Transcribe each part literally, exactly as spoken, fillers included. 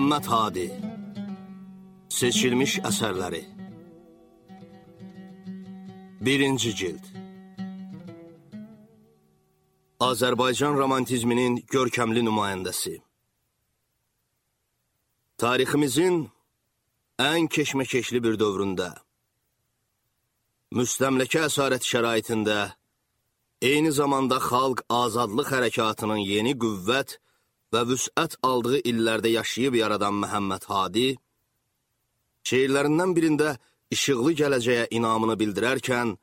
Məhəmməd Hadi Seçilmiş əsərləri Birinci cild Azərbaycan romantizminin görkəmli nümayəndəsi Tariximizin ən keşməkeşli bir dövründə, müstəmləkə əsarət şəraitində, eyni zamanda xalq azadlıq hərəkatının yeni qüvvət və vüsət aldığı illərdə yaşayıb yaradan Məhəmməd Hadi, şeirlərindən birində işıqlı gələcəyə inamını bildirərkən,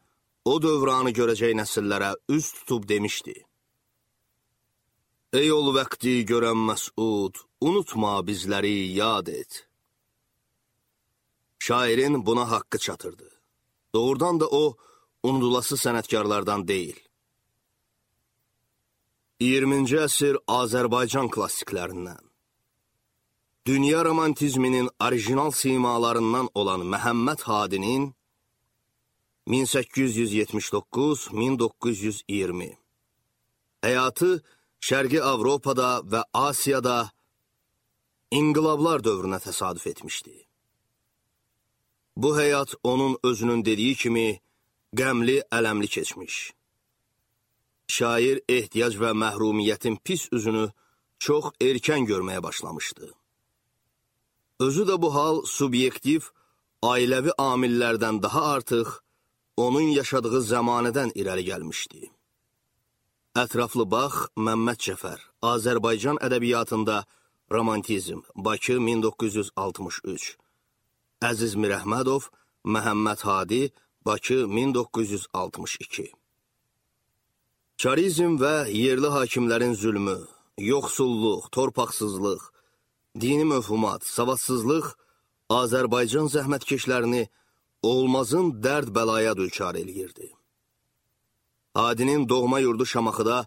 o dövranı görəcək nəsillərə üz tutub demişdi. Ey ol vəqti görən məsud, unutma bizləri yad et. Şairin buna haqqı çatırdı. Doğrudan da o, unudulası sənətkarlardan deyil. iyirminci əsr Azərbaycan klassiklərindən, dünya romantizminin orijinal simalarından olan Məhəmməd Hadinin min səkkiz yüz yetmiş doqquz - min doqquz yüz iyirmi həyatı Şərqi Avropada və Asiyada inqilablar dövrünə təsadüf etmişdi. Bu həyat onun özünün dediyi kimi qəmli, ələmli keçmiş. Şair ehtiyac və məhrumiyyətin pis üzünü çox erkən görməyə başlamışdı. Özü də bu hal subyektiv, ailəvi amillərdən daha artıq onun yaşadığı zəmanədən irəli gəlmişdi. Ətraflı bax, Məmməd Cəfər, Azərbaycan ədəbiyyatında romantizm, Bakı min doqquz yüz altmış üç. Əziz Mirəhmədov, Məhəmməd Hadi, Bakı min doqquz yüz altmış iki. Çarizm və yerli hakimlərin zülmü, yoxsulluq, torpaqsızlıq, dini möfhumat, savadsızlıq Azərbaycan zəhmətkeşlərini olmazın dərd bəlaya düçar eləyirdi. Hadinin doğma yurdu Şamaxıda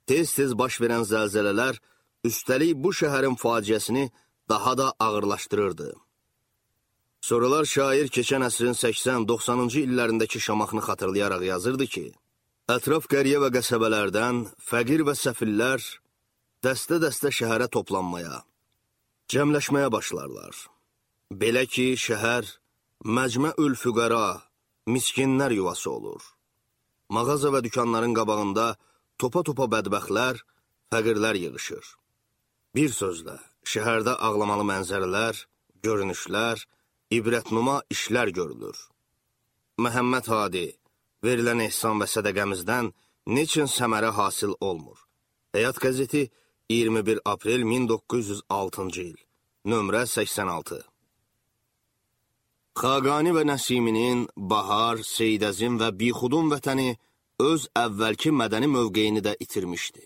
tez-tez baş verən zəlzələlər üstəlik bu şəhərin faciəsini daha da ağırlaşdırırdı. Sonralar şair keçən əsrin səksən doxsanıncı illərindəki Şamaxını xatırlayaraq yazırdı ki, ətraf qəriyə və qəsəbələrdən fəqir və səfillər dəstə-dəstə şəhərə toplanmaya, cəmləşməyə başlarlar. Belə ki, şəhər məcmə-ül füqəra, miskinlər yuvası olur. Mağaza və dükanların qabağında topa-topa bədbəxtlər, fəqirlər yığışır. Bir sözlə, şəhərdə ağlamalı mənzərələr, görünüşlər, ibrətnuma işlər görülür. Məhəmməd Hadi, verilən ehsan və sədəqəmizdən neçin səmərə hasil olmur. Həyat qəzeti iyirmi bir aprel min doqquz yüz altıncı il, nömrə səksən altı. Xaqani və Nəsiminin Bahar, Seydəzin və Bixudun vətəni öz əvvəlki mədəni mövqeyini də itirmişdi.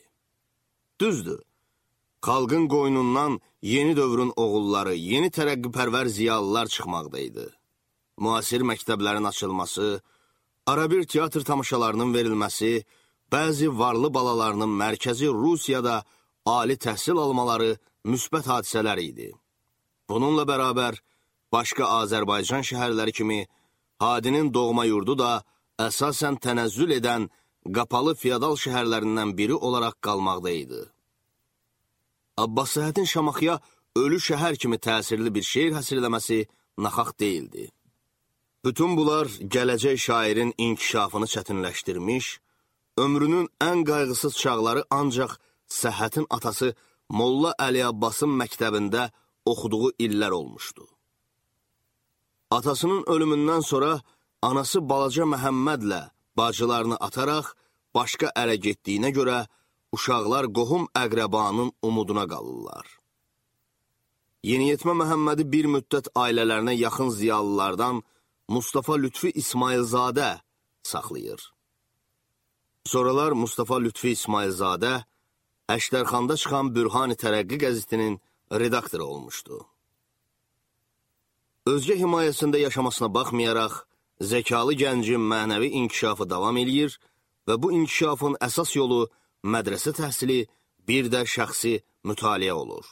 Düzdür, xalqın qoynundan yeni dövrün oğulları, yeni tərəqqipərvər ziyalılar çıxmaqdaydı. Müasir məktəblərin açılması, arabir teatr tamaşalarının verilməsi, bəzi varlı balalarının mərkəzi Rusiyada ali təhsil almaları müsbət hadisələr idi. Bununla bərabər, başqa Azərbaycan şəhərləri kimi Hadinin doğma yurdu da əsasən tənəzzül edən qapalı feodal şəhərlərindən biri olaraq qalmaqdaydı. Abbas Səhhətin Şamaxıya ölü şəhər kimi təsirli bir şeir həsrləməsi naxaq deyildi. Bütün bunlar gələcək şairin inkişafını çətinləşdirmiş, ömrünün ən qayğısız çağları ancaq Səhhətin atası Molla Əli Abbasın məktəbində oxuduğu illər olmuşdu. Atasının ölümündən sonra anası balaca Məhəmmədlə bacılarını ataraq başqa ərə getdiyinə görə uşaqlar qohum əqrəbanın umuduna qalırlar. Yeniyetmə Məhəmmədi bir müddət ailələrinə yaxın ziyalılardan Mustafa Lütfi İsmailzadə saxlayır. Sonralar Mustafa Lütfi İsmailzadə Əşdərxanda çıxan Bürhan-ı Tərəqqi qəzetinin redaktoru olmuşdu. Özgə himayəsində yaşamasına baxmayaraq, zəkalı gəncin mənəvi inkişafı davam edir və bu inkişafın əsas yolu mədrəsə təhsili, bir də şəxsi mütaliə olur.